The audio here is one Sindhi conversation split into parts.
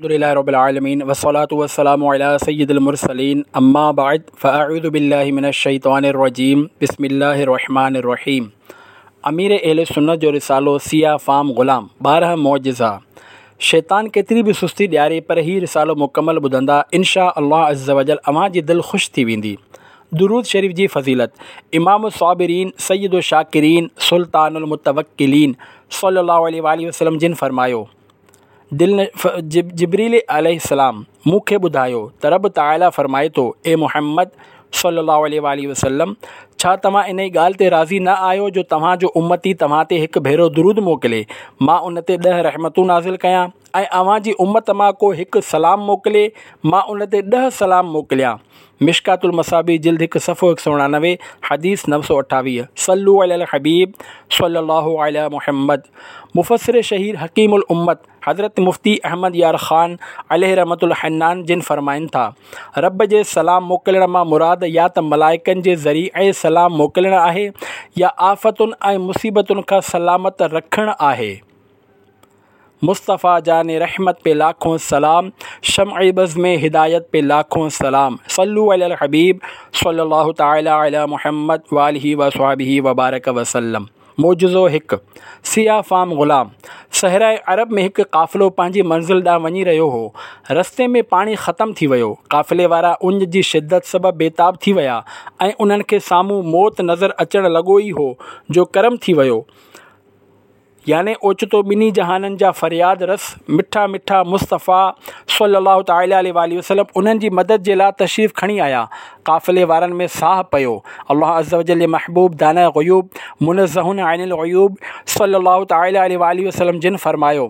الحمد لله رب العالمين والصلاة والسلام على سيد المرسلين اما بعد فاعوذ بالله من الشيطان الرجيم بسم الله الرحمن الرحيم امير اهل سنت جو رسالو سياه فام غلام 12 معجزا شيطان ڪيتري به سستي ڏياري پر هي رسالو مڪمل ٻڌندا انشاء الله عزوجل اوهان جي دل خوش ٿي ويندي درود شريف جي فضيلت امام الصابرين سيد الشاڪرين سلطان المتوڪلين صلي الله عليه واٰله وسلم جن فرمايو دل جبريل عليه السلام مون کي ٻڌايو ته رب تعاليٰ فرمائي ٿو، اي محمد صلّي الله عليه واٰله وسلّم! ڇا توهان انهي ڳالهه تي راضي نه آهيو جو توهان جو امتي توهان تي هڪ ڀيرو درود موڪلي، مان ان تي ڏهه رحمتون نازل ڪيان ۽ اوهان جي امت مان ڪو هڪ سلام موڪلي، مان ان تي ڏهه سلام موڪليان. مشڪات المصابيح جلد هڪ صفحو 189 حديث 928 صلو علی الحبيب صلي الله علي محمد مفسر شهير حڪيم الامت حضرت مفتي احمد يار خان عليه رحمت الحنان جن فرمائن ٿا رب جي سلام موڪلڻ مان مراد يا ته ملائڪن جي ذريعي سلام موڪلڻ آهي يا آفتن ۽ مصيبتن کان سلامت رکڻ آهي. مصطفيٰ جان رحمت پي لاکون سلام شمع بزم هدايت پي لاکون سلام صلو علي الحبيب صلي الله تعالي علي محمد واله وصحبه وبارڪ وسلم معجزو هڪ، سياه فام غلام صحراء عرب ۾ هڪ قافلو پنهنجي منزل ڏانهن وڃي رهيو هو. رستي ۾ پاڻي ختم ٿي ويو. قافلي وارا اڃ جي شدت سبب بيتاب ٿي ويا ۽ انهن کي سامهون موت نظر اچڻ لڳو ئي هو جو ڪرم ٿي ويو. يعني اوچتو ٻنهي جهانن جا فرياد رس مٺا مٺا مصطفيٰ صلّي الله تعالٰي عليه واٰله وسلّم انهن جي مدد جي لاء تشريف کڻي آيا. قافلي وارن ۾ ساهه پيو. الله عزّوجلّ جي محبوب داناء غيوب، منزّه عن العيوب صلّي الله تعالٰي عليه واٰله وسلّم جن فرمايو.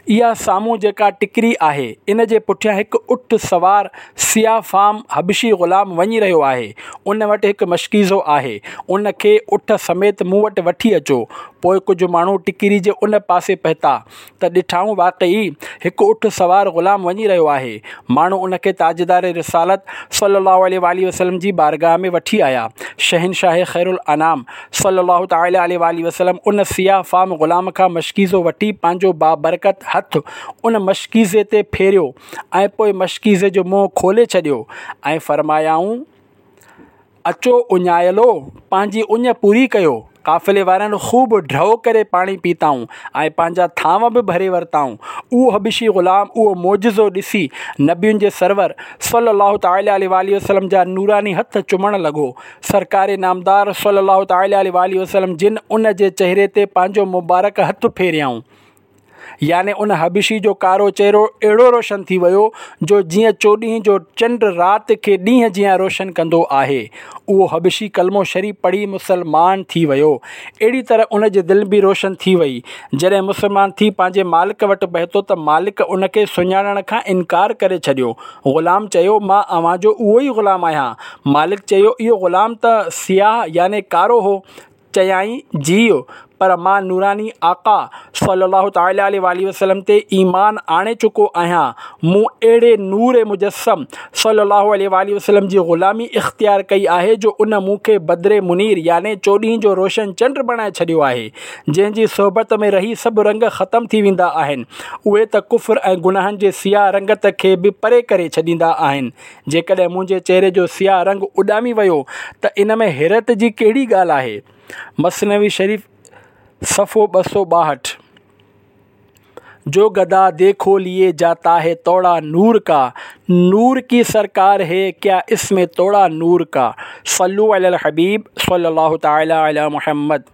اها سامهون جيڪا ٽڪري آهي، ان جي پٺيان هڪ اٺ سوار سياه فام حبشي غلام وڃي رهيو آهي. ان وٽ هڪ مشڪيزو آهي. ان کي اٺ سميت مون وٽ وٺي اچو. پوء ڪجهه ماڻهو ٽڪري جي ان پاسي پهتا ته ڏٺائون واقعي هڪ اٺ سوار غلام وڃي رهيو آهي. ماڻهو ان کي تاجدار رسالت صلي الله عليه واٰله وسلم جي بارگاهه ۾ وٺي آيا. شهنشاهه خيرالانام صلّي الله تعالٰي عليه واٰله وسلّم ان سياه فام غلام کان مشڪيزو وٺي پنهنجو بابرڪت هٿ ان مشڪيزي تي ڦيريو ۽ پوء مشڪيزي جو منهن کولي ڇڏيو ۽ فرمايائون، اچو اڃايلو! پنهنجي اڃ پوري ڪيو. قافلي وارن خوب ڍؤ ڪري پاڻي پيتائون ۽ پنهنجا ٿانو به ڀري ورتائون. اهو حبشي غلام اهو معجزو ڏسي نبين جي سرور صلّي الله تعالٰي عليه واٰله وسلّم جا نوراني هٿ چمڻ لڳو. سرڪار نامدار صلّي الله تعالٰي عليه واٰله وسلّم جن ان جي چهري تي پنهنجو مبارڪ هٿ ڦيريائون يعني ان حبشي جو ڪارو چهرو اهڙو روشن ٿي ويو جو جيئن چوڏهين جو چنڊ رات کي ڏينهن جيان روشن ڪندو آهي. اهو حبشي ڪلمو شريف پڙهي مسلمان ٿي ويو. اهڙي طرح ان جي دل به روشن ٿي وئي. جڏهن مسلمان ٿي پنهنجي مالڪ وٽ پهتو ته مالڪ ان کي سڃاڻڻ کان انڪار ڪري ڇڏيو. غلام چيو، مان اوهان جو اهو ئي غلام آهيان. مالڪ چيو، اهو غلام ته سياه يعني ڪارو هو. چيائين، جيء، پر مان نوراني آقا صلّي الله تعالٰي عليه واٰله وسلّم تي ايمان آڻي چڪو آهيان. مون اهڙي نور مجسّم صلّي الله عليه واٰله وسلّم جي غلامي اختيار ڪئي آهي جو ان مون کي بدر منير يعني چوڏهين جو روشن چنڊ بڻائي ڇڏيو آهي. جنهن جي صحبت ۾ رهي سڀ رنگ ختم ٿي ويندا آهن، اهي ته ڪفر ۽ گناهن جي سياه رنگت کي به پري ڪري ڇڏيندا آهن. جيڪڏهن منهنجي چهري جو سياه رنگ اڏامي ويو ته ان ۾ حيرت جي ڪهڙي ڳالهه آهي؟ مثنوي شريف صفحو 262. جو گدا ديکو ليي جاتا هي توڙا نور ڪا، نور ڪي سرڪار هي ڪيا اس ۾ توڙا نور ڪا. صلو علي الحبيب صلي الله تعالي علي محمد.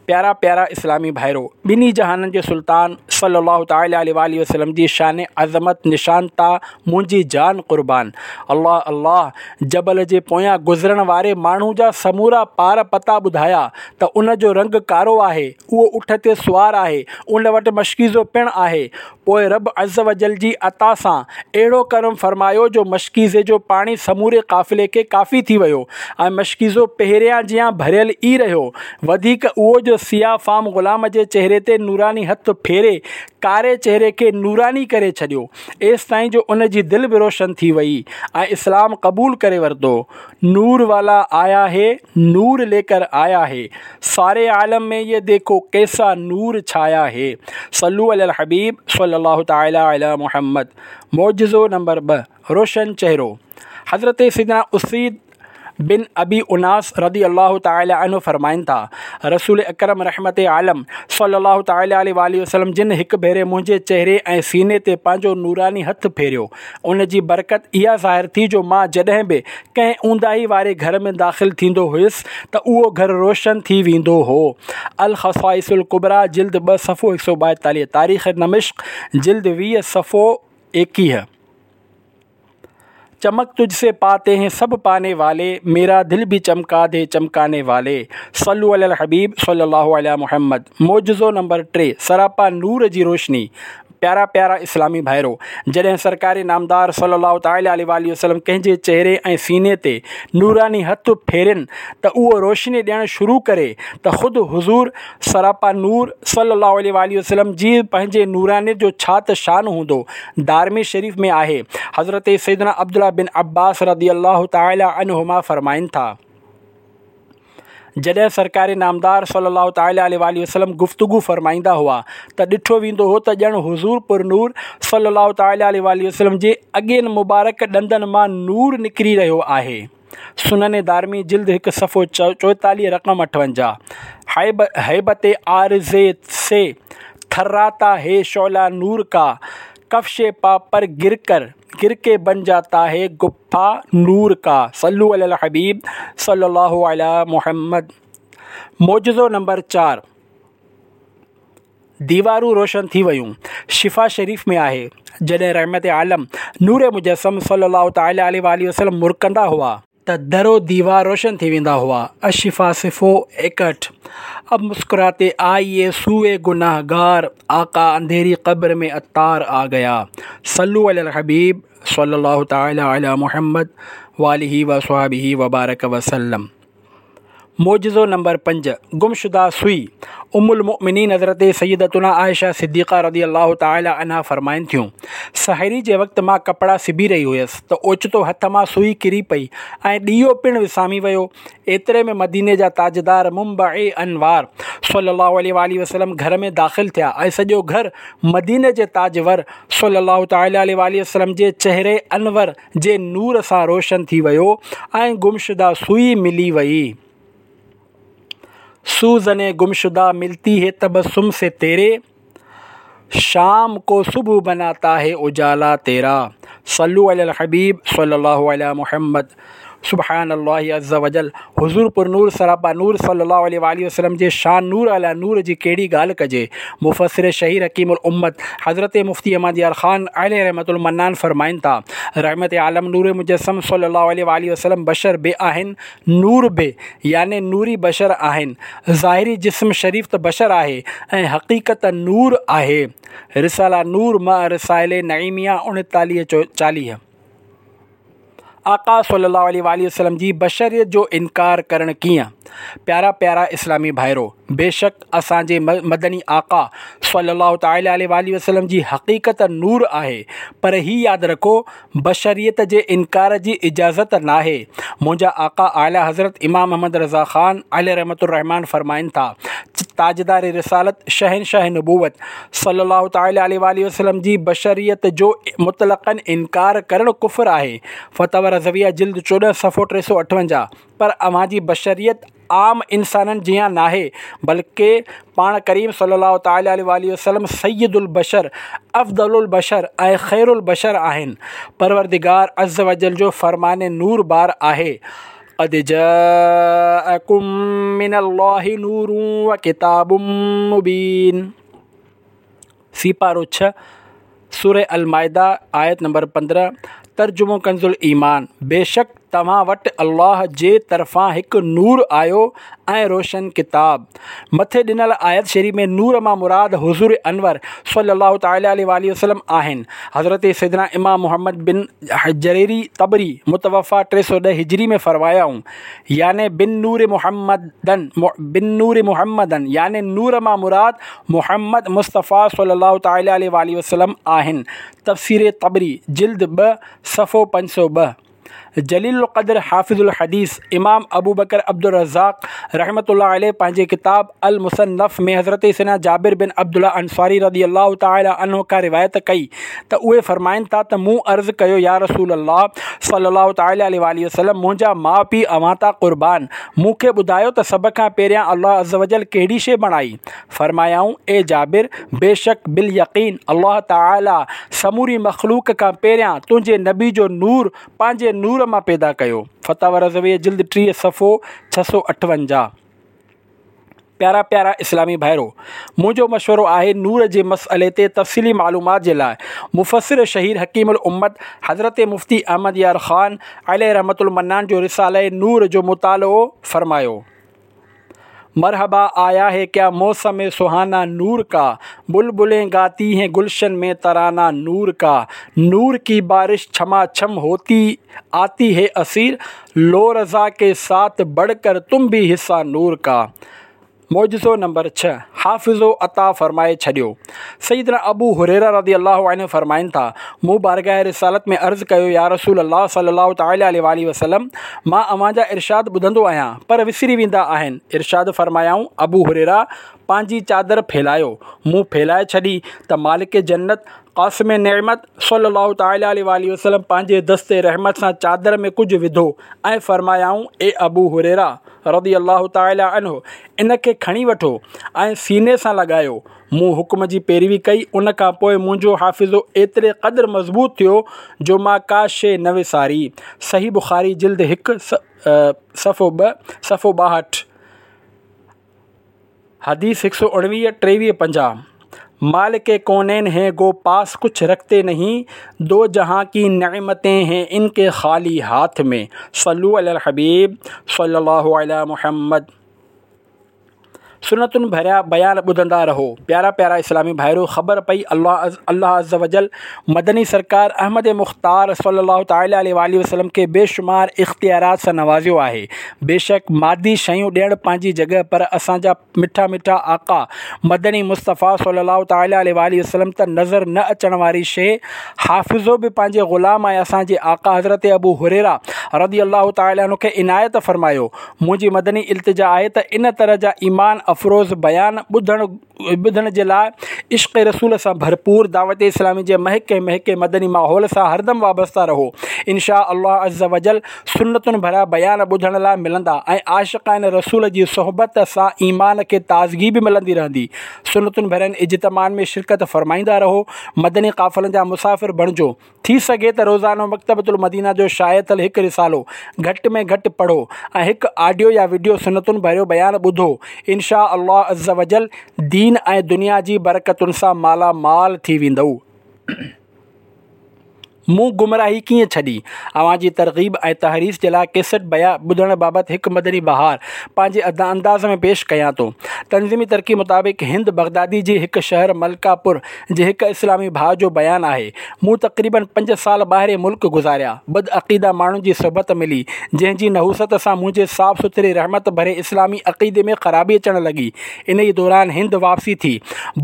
پيارا پيارا اسلامي ڀائرو! ٻنهي جهانن جي سلطان صلّي الله تعالٰي عليه واٰله وسلّم جي شان عظمت نشان تان منهنجي جان قربان. الله الله! جبل جي پويان گذرڻ واري ماڻهو جا سمورا پار پتا ٻڌايا ته ان جو رنگ ڪارو آهي، اهو اٺ تي سوار آهي، ان وٽ مشڪيزو پڻ آهي. پوء رب عزّوجلّ جي عطا سان اهڙو ڪرم فرمايو جو مشڪيزي جو پاڻي سموري قافلي کي ڪافي ٿي ويو ۽ مشڪيزو پهريان جيان ڀريل ئي رهيو. وڌيڪ اهو جو هڪ سياه فام غلام جي چهري تي نوراني هٿ ڦيري ڪاري چهري کي نوراني ڪري ڇڏيو، ايستائين جو ان جي دل به روشن ٿي وئي ۽ اسلام قبول ڪري ورتو. نور والا آيا هي نور ليڪر آيا هي، ساري عالم ۾ يه ديکو ڪيسا نور ڇايا هي. صلو علي الحبيب صلي الله تعالي علي محمد. معجزو نمبر 2، روشن چهرو. حضرت سيدنا اسيد بن ابي اناس رضي الله تعالٰي عنه فرمائن ٿا، رسول اڪرم رحمت عالم صلّي الله تعالٰي عليه واٰله وسلّم جن هڪ ڀيري منهنجي چهري ۽ سيني تي پنهنجو نوراني هٿ ڦيريو، ان جي برڪت اها ظاهر ٿي جو مان جڏهن به ڪنهن اونداهي واري گهر ۾ داخل ٿيندو هيس ته اهو گهر روشن ٿي ويندو هو. الخصائص الڪبريٰ جلد 2 صفحو 142، تاريخ دمشق جلد 20 صفحو 21. چمڪ تجھ سي پاتي هين سب پاني والي ميرا دل ڀي چمڪا the چمڪاني والي صلو علي الحبيب صلي الله علي محمد معجزو نمبر 3 سراپا نور جي روشني پيارا پيارا اسلامي ڀائرو جڏهن سرڪار نامدار صلي الله تعالي عليه واٰله وسلم ڪنهن جي چهري ۽ سيني تي نوراني هٿ ڦيرين ته اهو روشني ڏيڻ شروع ڪري ته خود حضور سراپا نور صلي الله عليه واٰله وسلم جي پنهنجي نورانيت جو ڇا ته شان هوندو. دارمي شريف ۾ آهي، حضرت سيدنا عبدالله بن عباس رضي الله تعالٰي عنهما فرمائن ٿا، جڏهن سرڪار نامدار صلي الله تعالٰي عليه واٰله وسلم گفتگو فرمائيندا هئا ته ڏٺو ويندو هو ته ڄڻ حضور پرنور صلي الله تعالٰي عليه واٰله وسلم جي اڳين مبارڪ ڏندن مان نور نڪري رهيو آهي. سنن دارمي جلد 1 صفحو 44 رقم 58. هيبت عارضي سي ٿراتا هي شعله نور ڪا، ڪفش پا پر گر ڪر گر ڪي بن جاتا هي گفا نور ڪا. صلو علي الحبيب صلي الله علي محمد. معجزو نمبر 4. ديوارون روشن ٿي ويون. شفا شريف ۾ آهي، جڏهن رحمت عالم، نور مجسم صلّي الله تعالٰي عليه واٰله وسلّم مرڪندا هئا، ته در و ديوار روشن ٿي ويندا هئا، الشفا صفحو 61 اب مسڪراتي آئيي سوئي گناهگار، آقا انڌيري قبر ۾ عطار آ گيا صلو علي الحبيب صلّي الله تعالٰي علي محمد واٰله وصحبه وبارڪ وسلّم. معجزو نمبر 5، گمشده سوئي، ام المؤمنين حضرت سيدتنا عائشه صديقه رضي الله تعالٰي عنها فرمائن ٿيون، سحري جي وقت مان ڪپڙا سبي رهي هيس ته اوچتو هٿ مان سوئي ڪري پئي ۽ ڏيئو پڻ وسامي ويو. ايتري ۾ مديني جا تاجدار منبع انوار صلّي الله عليه واٰله وسلّم گهر ۾ داخل ٿيا ۽ سڄو گهر مديني جي تاجور صلّي الله تعالٰي عليه واٰله وسلّم جي چهري انور جي نور سان روشن ٿي ويو ۽ گمشده سوئي ملي وئي. سوزن گمشده ملتي هي تبسم سي تيري، شام ڪو صبح بناتا هي اجالا تيرا. صلو علي الحبيب صلي الله علي محمد. سبحان الله عز وجل حضور پر نور سراپا نور صلي الله عليه واٰله وسلم جي شان نور علي نور جي ڪهڙي ڳالهه ڪجي. مفسر شهير حڪيم الامت حضرت مفتي احمد يار خان عليه رحمة المنان فرمائن ٿا، رحمت عالم نور مجسم صلي الله عليه واٰله وسلم بشر به آهن نور به يعني نوري بشر آهن. ظاهري جسم شريف ته بشر آهي ۽ حقيقت نور آهي. رساله نور مع رسائل نعيميه 39 40. آقا صلي الله عليه واٰله وسلم جي بشريت جو انڪار ڪرڻ ڪيئن؟ پيارا پيارا اسلامي ڀائرو! بيشڪ اسان جي مدني آقا صلي الله تعالٰي عليه واٰله وسلم جي حقيقت نور آهي پر هي ياد رکو بشريت جي انڪار جي اجازت ناهي. منهنجا آقا اعليٰ حضرت امام احمد رضا خان عليه رحمة الرحمان فرمائن ٿا، تاجدار رسالت شهنشاهه نبوت صلّي الله تعالٰي عليه واٰله وسلّم جي بشريت جو مطلقاً انڪار ڪرڻ ڪفر آهي، فتاويٰ رضويه جلد 14 صفحو 358، پر اوهان جي بشريت عام انسانن جيان ناهي بلڪه پاڻ ڪريم صلّي الله تعالٰي عليه واٰله وسلّم سيد البشر، افضل البشر ۽ خير البشر آهن. پروردگار عزّوجلّ جو فرمان نور بار آهي. قد جاءڪم من الله نور وڪتاب مبين سيپارو 6 سوره المائده آيت نمبر 15 ترجمو ڪنز الايمان بيشڪ توهان وٽ الله جي طرفان هڪ نور آيو ۽ روشن ڪتاب. مٿي ڏنل آيت شريف ۾ نور مان مراد حضور انور صلي الله تعالٰي عليه واٰله وسلم آهن. حضرت سيدنا امام محمد بن جرير طبري متوفيٰ 310 هجري ۾ فرمايائون، يعني بالنور محمدا بالنور محمدا يعني نور مان مراد محمد مصطفيٰ صلي الله تعالٰي عليه واٰله وسلم آهن. تفسير طبري جلد 2 صفحو 502. جليل القدر حافظ الحديث امام ابوبڪر عبدالرزاق رحمة الله عليه پنهنجي ڪتاب المصنف ۾ حضرت سيدنا جابر بن عبدالله انصاري رضي الله تعالٰي عنه کان روايت ڪئي ته اهي فرمائن ٿا ته مون عرض ڪيو يا رسول الله صلي الله تعالٰي عليه واٰله وسلم منهنجا ماء پيء اوهان تان قربان مون کي ٻڌايو ته سڀ کان پهريان الله عزّوجلّ ڪهڙي شيء بڻائي؟ فرمايائون، اي جابر! بيشڪ باليقين الله تعاليٰ سموري مخلوق کان پهريان تنهنجي نبي جو نور پنهنجي نور مان پيدا ڪيو. فتاويٰ رضويه جلد 30 صفحو 658. پيارا پيارا اسلامي ڀائرو! منهنجو مشورو آهي نور جي مسئلي تي تفصيلي معلومات جي لاء مفسر شهير حڪيم الامت حضرت مفتي احمد يار خان عليه رحمة المنان جو رساله نور جو مطالعو فرمايو. مرحبا آيا هي ڪيا موسم سهانا نور ڪا بلبلين گاتي هين گلشن ۾ ترانا نور ڪا نور ڪي بارش ڇما ڇم هوتي آتي هي اسير لو رضا ڪي ساٿ بڙهه ڪر تم ڀي حصا نور ڪا معجزو نمبر 6 حافظو عطا فرمائي ڇڏيو. سيدنا ابو هريره رضي الله عنه فرمائن ٿا، مون بارگاھ رسالت ۾ عرض ڪيو يا رسول الله صلي الله تعالٰي عليه واٰله وسلم مان اوهان جا ارشاد ٻڌندو آهيان پر وسري ويندا آهن، ارشاد فرمايائون، ابو هريره پنهنجي چادر ڦهلايو، مون ڦهلائي ڇڏي ته مالڪ جنت، قاسم نعمت صلّي الله تعالٰي عليه واٰله وسلّم پنهنجي دست رحمت سان چادر ۾ ڪجهه وڌو ۽ فرمايائون، اي ابو هريره رضي الله تعالٰي عنه ان کي کڻي وٺو ۽ سيني سان لڳايو. مون حڪم جي پيروي ڪئي، ان کان پوء منهنجو حافظو ايتري قدر مضبوط ٿيو جو مان ڪا شيء نه وساري. صحيح بخاري جلد 1 صفحو 2 صفحو 62. حديث 119 23 50 مالڪ ڪونين هين گو پاس ڪڇ رکتي نهين دو جهان ڪي نعمتين هين ان ڪي خالي هاٿ ۾ صلو علي الحبيب صلي الله علي محمد سنتن ڀريا بيان ٻڌندا رهو پيارا پيارا اسلامي ڀائرو خبر پئي الله الله عز وجل مدني سرڪار احمد مختار صلي الله تعالي عليه واٰله وسلم کي بيشمار اختيارات سان نوازيو آهي بيشڪ مادي شيون ڏيڻ پنهنجي جڳهه پر اسان جا مٺا مٺا آقا مدني مصطفيٰ صلي الله تعالي عليه واٰله وسلم ته نظر نه اچڻ واري شيء حافظو به پنهنجي غلام ۽ اسان جي آقا حضرت ابو هريره رضي الله تعالي عنه کي عنايت فرمايو منهنجي مدني التجا آهي ته ان طرح جا ايمان افروز بيان ٻڌڻ ٻڌڻ جي لاء عشق رسول سان ڀرپور دعوت اسلامي جي مهڪي مهڪي مدني ماحول سان هردم وابسته رهو انشاء الله عزّوجلّ سنتن ڀريا بيان ٻڌڻ لاء ملندا ۽ عاشقان رسول جي صحبت سان ايمان کي تازگي به ملندي رهندي سنتن ڀرين اجتماعن ۾ شرڪت فرمائيندا رهو مدني قافلن جا مسافر بڻجو ٿي سگهي ته روزانو مڪتبة المدينه جو شايع ٿيل هڪ رسالو گهٽ ۾ گهٽ پڙهو ۽ هڪ آڊيو يا وڊيو سنتن ڀريو بيان ٻڌو ان شاء الله عزّوجلّ دين ۽ دنيا جي برڪتن سان مالا مال ٿي ويندؤ. مون گمراهي ڪيئن ڇڏي؟ اوهان جي ترغيب ۽ تحريص جي لاء ڪيسٽ بيان ٻڌڻ بابت هڪ مدني بهار پنهنجي انداز ۾ پيش ڪيان ٿو. تنظيمي ترقي مطابق هند بغدادي جي هڪ شهر ملڪاپور جي هڪ اسلامي ڀاء جو بيان آهي، مون تقريباً پنج سال ٻاهرين ملڪ گذاريا، بدعقيده ماڻهن جي صحبت ملي، جنهن جي نحوست سان منهنجي صاف سٿري رحمت ڀري اسلامي عقيدي ۾ خرابي اچڻ لڳي، انهيء دوران هند واپسي ٿي،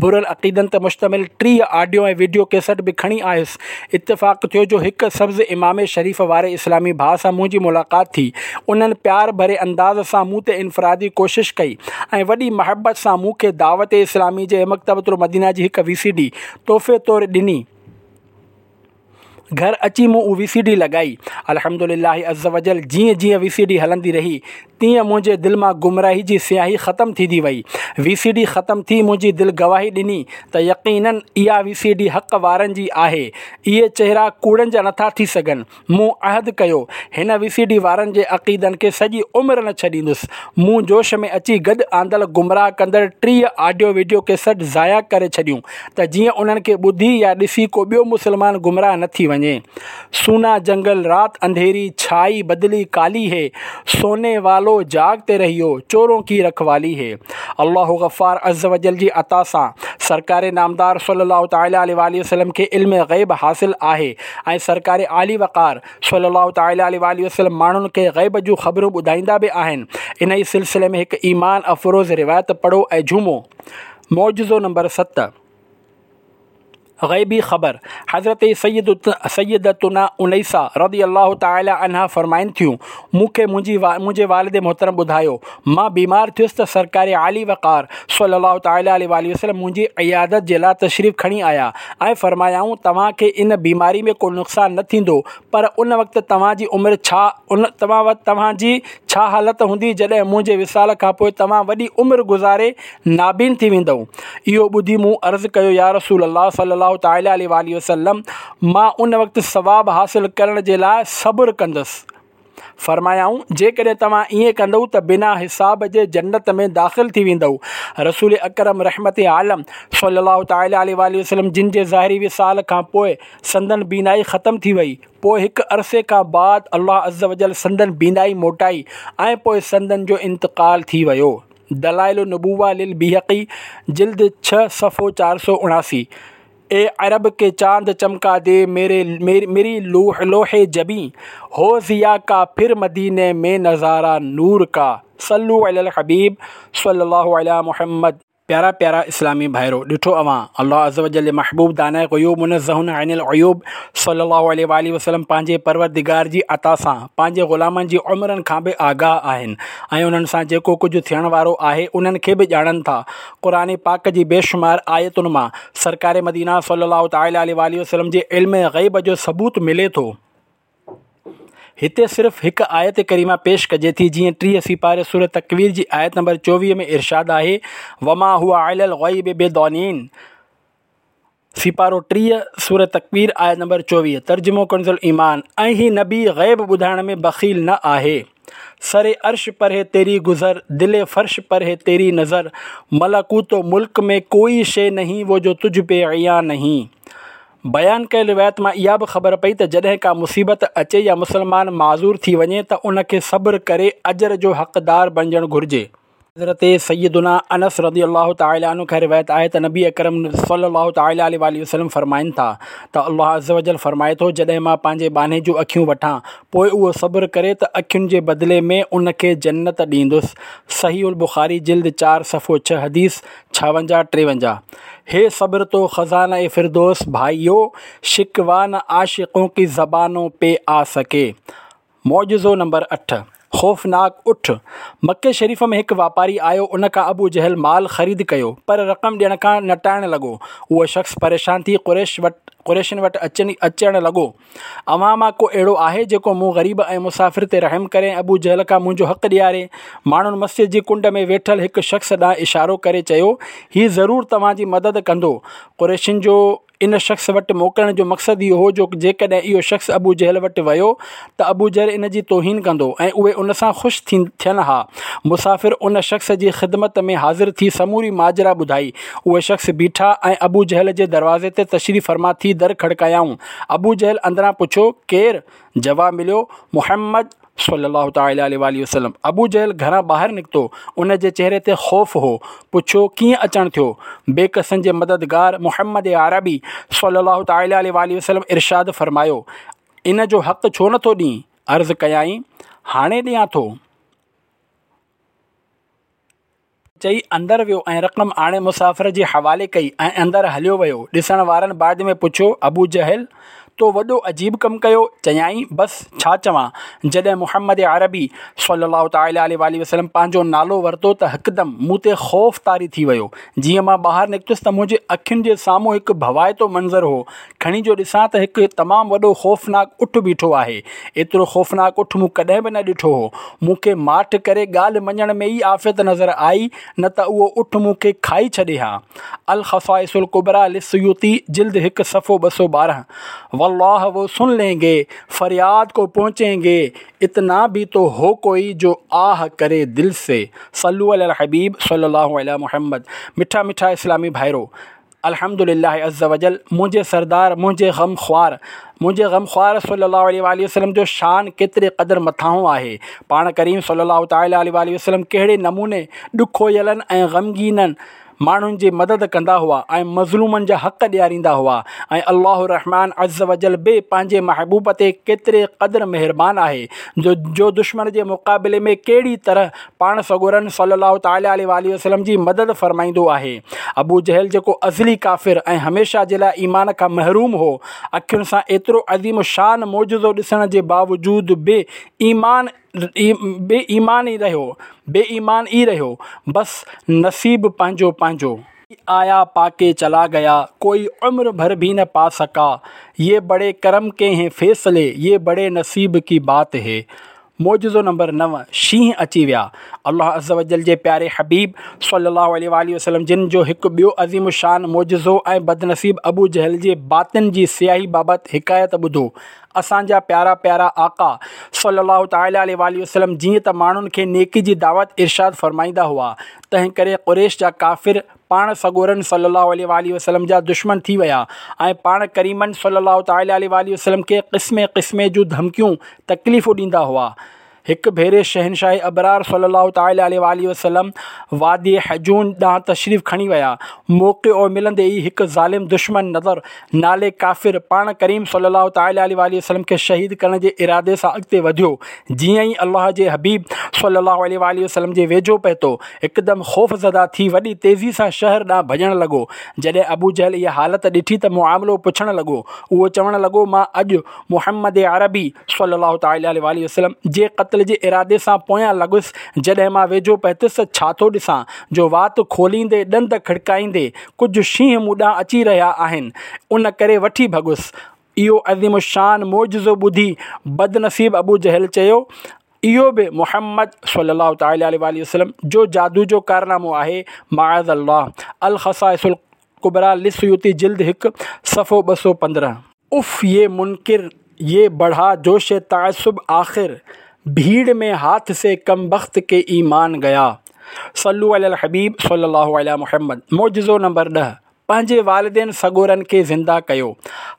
برن عقيدن تي مشتمل 30 آڊيو ۽ وڊيو ڪيسٽ به کڻي آيس، اتفاق ٿيو جو هڪ سبز عمامي شريف واري اسلامي ڀاء سان منهنجي ملاقات ٿي، انهن پيار ڀري انداز سان مون تي انفرادي ڪوشش ڪئي ۽ وڏي محبت سان مون کي دعوت اسلامي جي مڪتبة المدينه جي هڪ وي سي ڊي تحفي طور ڏني. گهر اچي مون اها وي سي ڊي لڳائي. الحمد لله عزّوجلّ جيئن جيئن وي سي ڊي هلندي رهي تيئن منهنجي دل مان گمراهي جي سياهي ختم ٿيندي وئي. وي سي ڊي ختم ٿي منهنجي دل گواهي ڏني ته يقيناً اها وي سي ڊي حق وارن جي آهي. اهي چهرا ڪوڙن جا نٿا ٿي سگهن. مون عهد ڪيو، هن وي سي ڊي وارن جي عقيدن کي سڄي عمر نه ڇڏيندس. مون جوش ۾ اچي گڏ آندل گمراهه ڪندڙ 30 آڊيو وڊيو ڪيسٽ ضايع ڪري ڇڏيون ته جيئن انهن کي ٻڌي يا ڏسي ڪو ٻيو مسلمان گمراهه نه ٿي وڃي. وڃي. سونا جنگل رات انڌيري ڇائي بدلي ڪالي هي، سوني والو جاگتي رهيو چورون ڪي رکوالي هي. الله غفار عزّوجلّ جي عطا سان سرڪار نامدار صلّي الله تعالٰي عليه واٰله وسلّم کي علم غيب حاصل آهي ۽ سرڪار عالي وقار صلّي الله تعالٰي عليه واٰله وسلّم ماڻهن کي غيب جون خبرون ٻڌائيندا به آهن. انهي سلسلي ۾ هڪ ايمان افروز روايت پڙهو ۽ جهومو. معجزو نمبر 7. غيبي خبر، حضرت سيدتنا انيسه رضي الله تعالٰي عنها فرمائن ٿيون، مون کي منهنجي منهنجي والد محترم ٻڌايو، مان بيمار ٿيس ته سرڪار عالي وقار صلّي الله تعالٰي عليه واٰله وسلّم منهنجي عيادت جي لاء تشريف کڻي آيا ۽ فرمايائون، توهان کي ان بيماري ۾ ڪو نقصان نه ٿيندو پر ان وقت توهان جي عمر ڇا ان توهان جي ڇا حالت هوندي جڏهن منهنجي وصال کان پوء توهان وڏي عمر گذاري نابين ٿي ويندؤ. اهو ٻڌي مون عرض ڪيو يا رسول الله صلّي الله تعالٰي عليه واٰله وسلّم! مان ان وقت ثواب حاصل ڪرڻ جي لاء صبر ڪندس. فرمايائون، جيڪڏهن توهان ائين ڪندؤ ته بنا حساب جي جنت ۾ داخل ٿي ويندؤ. رسول اڪرم رحمت عالم صلّي الله تعالٰي عليه واٰله وسلّم جن جي ظاهري وصال کان پوء سندن بينائي ختم ٿي وئي. پوء هڪ عرصي کان بعد الله عزّوجلّ سندن بينائي موٽائي ۽ پوء سندن جو انتقال ٿي ويو. دلائل النبوة للبيهقي جلد 6 صفحو 479 اي عرب ڪي چاند چمڪا the ميري ميري لوح لوح جبين هو ضيا ڪا ڦر مديني ۾ نظارا نور ڪا صلو علي الحبيب صلي الله علي محمد. پيارا پيارا اسلامي ڀائرو! ڏٺو اوهان، الله عزّوجلّ جي محبوب داناء غيوب منزّه عن العيوب صلّي الله عليه واٰله وسلّم پنهنجي پروردگار جي عطا سان پنهنجي غلامن جي عمرن کان به آگاهه آهن ۽ انهن سان جيڪو ڪجهه ٿيڻ وارو آهي انهن کي به ڄاڻن ٿا. قرآن پاڪ جي بيشمار آيتن مان سرڪار مدينه صلّي الله تعالٰي عليه واٰله وسلّم جي علم غيب جو ثبوت ملي ٿو. هتي صرف هڪ آيت ڪريمه پيش ڪجي ٿي جيئن 30 سيپاري سورة تڪوير جي آيت نمبر 24 ۾ ارشاد آهي وما هو علي الغيب بضنين سيپارو 30 سورة تڪوير آيت نمبر 24 ترجمو ڪنز الايمان ۽ هي نبي غيب ٻڌائڻ ۾ بخيل نه آهي سر عرش پر هي تيري گذر دل فرش پر هي تيري نظر ملڪوت و ملڪ ۾ ڪوئي شيء نهين وو جو تجھ پي عيان نهين بيان ڪيل روايت مان اها به خبر پئي ته جڏهن ڪا مصيبت اچي يا مسلمان معذور ٿي وڃي ته ان کي صبر ڪري اجر جو حقدار بڻجڻ گهرجي. حضرت سيدنا انس رضي الله تعالٰي عنه کان روايت آهي ته نبي اڪرم صلي الله تعالٰي عليه واٰله وسلم فرمائن ٿا ته الله عزّوجلّ فرمائي ٿو جڏهن مان پنهنجي ٻانهي جون اکيون وٺان پوء اهو صبر ڪري ته اکين جي بدلي ۾ ان کي جنت ڏيندس صحيح البخاري جلد 4 صفحو 6 حديث 56 53 هي صبر تو خزانه فردوس ڀائيو شڪوه نه عاشقون ڪي زبانون پي آ سڪي. معجزو نمبر 8، خوفناڪ اٺ، مڪي شريف ۾ هڪ واپاري آيو ان کان ابو جهل مال خريد ڪيو پر رقم ڏيڻ کان نٽائڻ لڳو اهو شخص پريشان ٿي قريش وٽ قريشن وٽ اچڻ لڳو اوهان مان ڪو اهڙو آهي جيڪو مون غريب ۽ مسافر تي رحم ڪري ۽ ابو جهل کان منهنجو حق ڏياري؟ ماڻهن مسجد جي ڪنڊ ۾ ويٺل هڪ شخص ڏانهن اشارو ڪري چيو، هي ضرور توهان جي مدد ڪندو. قريشن جو ان شخص وٽ موڪلڻ جو مقصد اهو هو جو جيڪڏهن اهو شخص ابو جهل وٽ ويو ته ابو جهل ان جي توهين ڪندو ۽ اهي ان سان خوش ٿين ها. مسافر ان شخص جي خدمت ۾ حاضر ٿي سموري ماجرا ٻڌائي. اهي شخص بيٺا ۽ ابو جهل جي دروازي تي تشريف فرما ٿي در کڙڪايائون. ابو جهل اندران پڇيو، ڪير؟ جواب مليو، محمد صلّي الله تعالٰي عليه واٰله وسلّم. ابو جهل گهران ٻاهر نڪتو، ان جي چهري تي خوف هو. پڇيو، ڪيئن اچڻ ٿيو؟ بيڪسن جي مددگار محمد عربي صلّي الله تعالٰي عليه واٰله وسلّم ارشاد فرمايو، ان جو حق ڇو نٿو ڏين؟ عرض ڪيائين، هاڻي ڏيان ٿو. چئي اندر ويو ۽ رقم آڻي مسافر جي حوالي ڪئي ۽ اندر هليو ويو. ڏسڻ وارن بعد ۾ پڇيو، ابو جهل! تو وڏو عجيب ڪم ڪيو. چيائين، بس ڇا چوان، جڏهن محمد عربي صلّي الله تعالٰي عليه واٰله وسلّم پنهنجو نالو ورتو ته هڪدم مون تي خوف طاري ٿي ويو. جيئن مان ٻاهر نڪتس ته منهنجي اکين جي سامهون هڪ ڀوائتو منظر هو. کڻي جو ڏسان ته هڪ تمام وڏو خوفناڪ اٺ بيٺو آهي. ايترو خوفناڪ اٺ مون ڪڏهن به نه ڏٺو هو. مون کي ماٺ ڪري ڳالهه مڃڻ ۾ ئي عافيت نظر آئي نه ته اهو اٺ مون کي کائي ڇڏي ها. الخصائص الڪبريٰ للسيوطي جلد 1 صفحو 212 والله وو سن لين گي فرياد ڪو پهچين گي اتنا ڀي تو هو ڪوئي جو آه ڪري دل سي صلو علي الحبيب صلي الله علي محمد مٺا مٺا اسلامي ڀائرو! الحمد لله عزّوجلّ منهنجي سردار منهنجي غمخوار منهنجي غمخوار صلّي الله عليه واٰله وسلّم جو شان ڪيتري قدر مٿانهون آهي. پاڻ ڪريم صلّي الله تعالٰي عليه واٰله وسلّم ڪهڙي نموني ڏکويلن ۽ غمگينن ماڻهن جي مدد ڪندا هئا ۽ مظلومن جا حق ڏياريندا هئا ۽ الله الرحمٰن عزّوجلّ به پنهنجي محبوب تي ڪيتري قدر مهربان آهي جو دشمن جي مقابلي ۾ ڪهڙي طرح پاڻ سڳورن صلّي الله تعالٰي عليه واٰله وسلّم جي مدد فرمائيندو آهي. ابو جهل جيڪو ازلي ڪافر ۽ هميشه جي لاء ايمان کان محروم هو، اکين سان ايترو عظيم الشان معجزو ڏسڻ جي باوجود به ايمان بي ايمان ئي رهيو بي ايمان ئي رهيو. بس نصيب پنهنجو پنهنجو. آيا پاڪي چلا گيا ڪوئي عمر ڀر ڀي نه پا سڪا يي بڙي ڪرم ڪي هين فيصلي يي بڙي نصيب ڪي بات هي. معجزو نمبر نو، شينهن اچي ويا. الله عزّوجلّ جي پياري حبيب صلّي اللّٰه عليه واٰله وسلّم جن جو هڪ ٻيو عظيم الشان معجزو ۽ بدنصيب ابو جهل جي باطن جي سياهي بابت حڪايت ٻڌو. اسان جا پيارا پيارا آقا صلّي اللّٰه تعالٰي عليه واٰله وسلّم جيئن ته ماڻهن کي نيڪي جي دعوت ارشاد فرمائيندا هئا، تنهنڪري قريش جا ڪافر پاڻ سڳورن صلّي اللّٰه عليه واٰله وسلّم جا دشمن ٿي ويا ۽ پاڻ ڪريمن صلّي اللّٰه تعالٰي عليه واٰله وسلّم کي قسمين قسمين جون ڌمڪيون تڪليفون ڏيندا هئا. هڪ ڀيري شهنشاهه ابرار صلّي اللّٰه تعالٰي عليه واٰله وسلّم وادي حجون ڏانهن تشريف کڻي ويا. موقعو ملندي ئي هڪ ظالم دشمن نضر نالي ڪافر پاڻ ڪريم صلّي اللّٰه تعالٰي عليه واٰله وسلّم کي شهيد ڪرڻ جي ارادي سان اڳتي وڌيو. جيئن ئي الله جي حبيب صلّي اللّٰه عليه واٰله وسلّم جي ويجهو پهتو، هڪدم خوفزده ٿي وڏي تيزي سان شهر ڏانهن ڀڄڻ لڳو. جڏهن ابوجهل اها حالت ڏٺي ته معاملو پڇڻ لڳو. اهو چوڻ لڳو، مان اڄ محمد عربي صلّي اللّٰه تعالٰي عليه واٰله وسلّم جي قتل جي ارادي سان پويان لڳس، جڏهن مان ويجهو پهتس ته ڇا ٿو ڏسان جو وات کوليندي ڏند کڙڪائيندي ڪجهه شينهن مون ڏانهن اچي رهيا آهن، ان ڪري وٺي ڀڳس. اهو عظيم الشان معجزو ٻڌي بدنصيب ابوجهل چيو، اهو به محمد صلّي الله تعالٰي عليه واٰله وسلّم جو جادو جو ڪارنامو آهي، معاذ الله، الخصائص الڪبريٰ للسيوطي جلد هڪ، صفحو 215. اف يي منڪر يي بڙها جوش تعصب آخر ڀيڙ ۾ هاٿ سي ڪمبخت ڪي ايمان گيا. صلو علي الحبيب صلي الله علي محمد معجزو نمبر ڏهه، پنهنجي والدين سڳورن کي زنده ڪيو.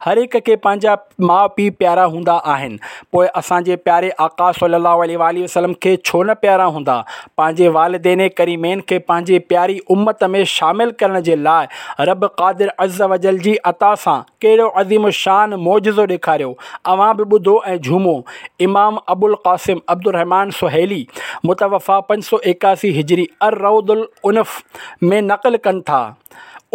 هر هڪ کي پنهنجا ماء پيء پيارا هوندا آهن، پوء اسان جي پياري آقا صلي الله عليه واٰله وسلم کي ڇو نه پيارا هوندا؟ پنهنجي والدين ڪريمين کي پنهنجي پياري امت ۾ شامل ڪرڻ جي لاء رب قادر عزّوجلّ جي عطا سان ڪهڙو عظيم الشان معجزو ڏيکاريو، اوهان به ٻڌو ۽ جهومو. امام ابوالقاسم عبدالرحمان سهيلي متوفيٰ 581 هجري الروض الانف ۾ نقل ڪن ٿا.